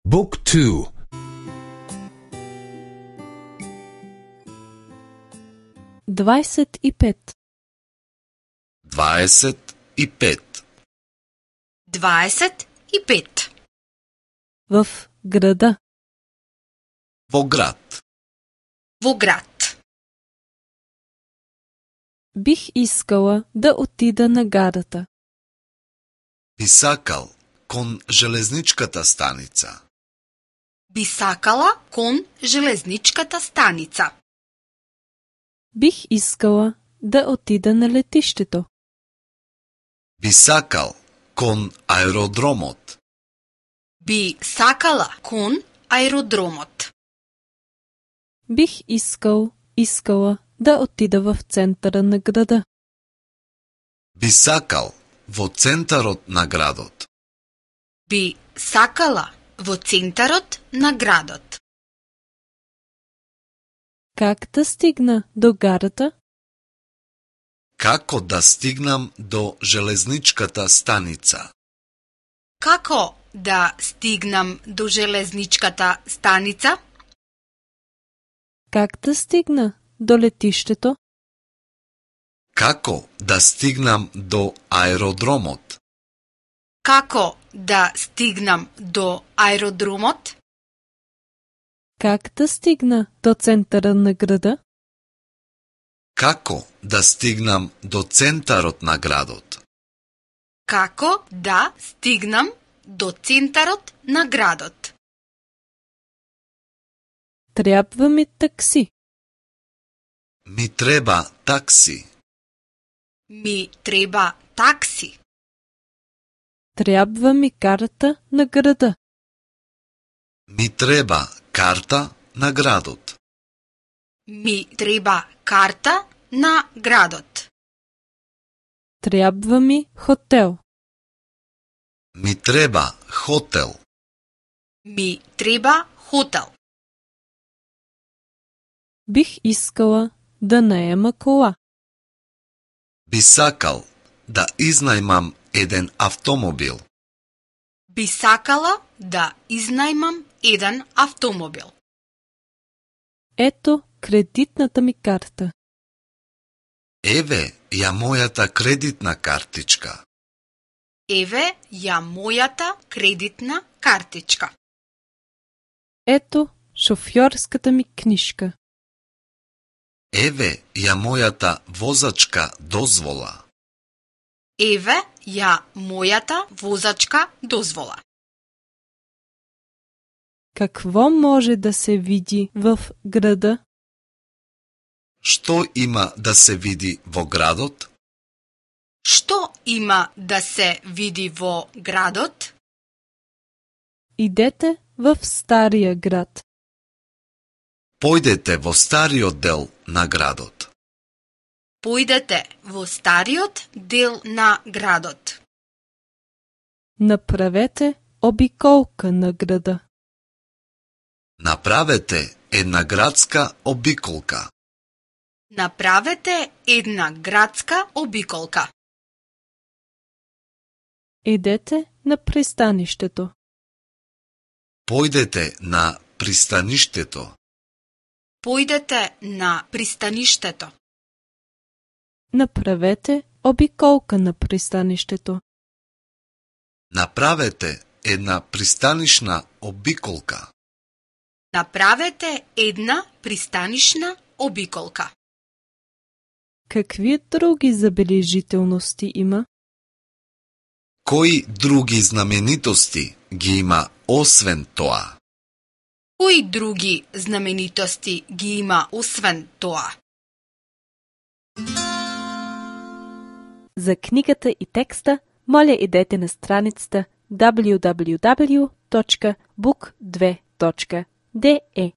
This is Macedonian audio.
Book 2. 25. 25. 25. В града. Во град. Во град. Бих искала да отида на гарата. Би сакал кон железничката станица. Би сакала кон железничката станица. Бих искала да отида на летището. Би сакал кон аеродромот. Би сакала кон аеродромот. Бих искала да отида в центъра на града. Би сакал во центарот на градот. Би сакала во центарот на градот. Как да стигна до гарата? Како да стигнам до железничката станица? Како да стигнам до железничката станица? Как да стигна до летището? Како да стигнам до аеродромот? Како да стигнам до аеродромот? Как да стигна до центъра на града? Како да стигнам до центарот на градот? Како да стигнам до центарот на градот? Трябва ми такси. Ми треба такси. Ми треба такси. Трябва ми карта на града. Ми треба карта на градот. Ми треба карта на градот. Трябва ми хотел. Ми треба хотел. Ми треба хотел. Бих искала да наема кола. Би сакал да изнајмам еден автомобил. Би сакала да изнајмам еден автомобил. Ето кредитната ми карта. Еве ја мојата кредитна картичка. Еве ја мојата кредитна картичка. Ето шофьорската ми книжка. Еве ја мојата возачка дозвола. Еве ја мојата возачка дозвола. Какво може да се види в града? Што има да се види во градот? Што има да се види во градот? Идете в стария град. Појдете во стариот дел на градот. Појдете во стариот дел на градот. Направете обиколка на града. Направете една градска обиколка. Направете една градска обиколка. Идете на пристанището. Појдете на пристаништето. Појдете на пристаништето. Направете обиколка на пристанището. Направете една пристанишна обиколка. Направете една пристанишна обиколка. Какви други забележителности има? Кои други знаменитости ги има освен тоа? Кои други знаменитости ги има освен тоа? За книгата и текста, моля идете на страницата www.book2.de.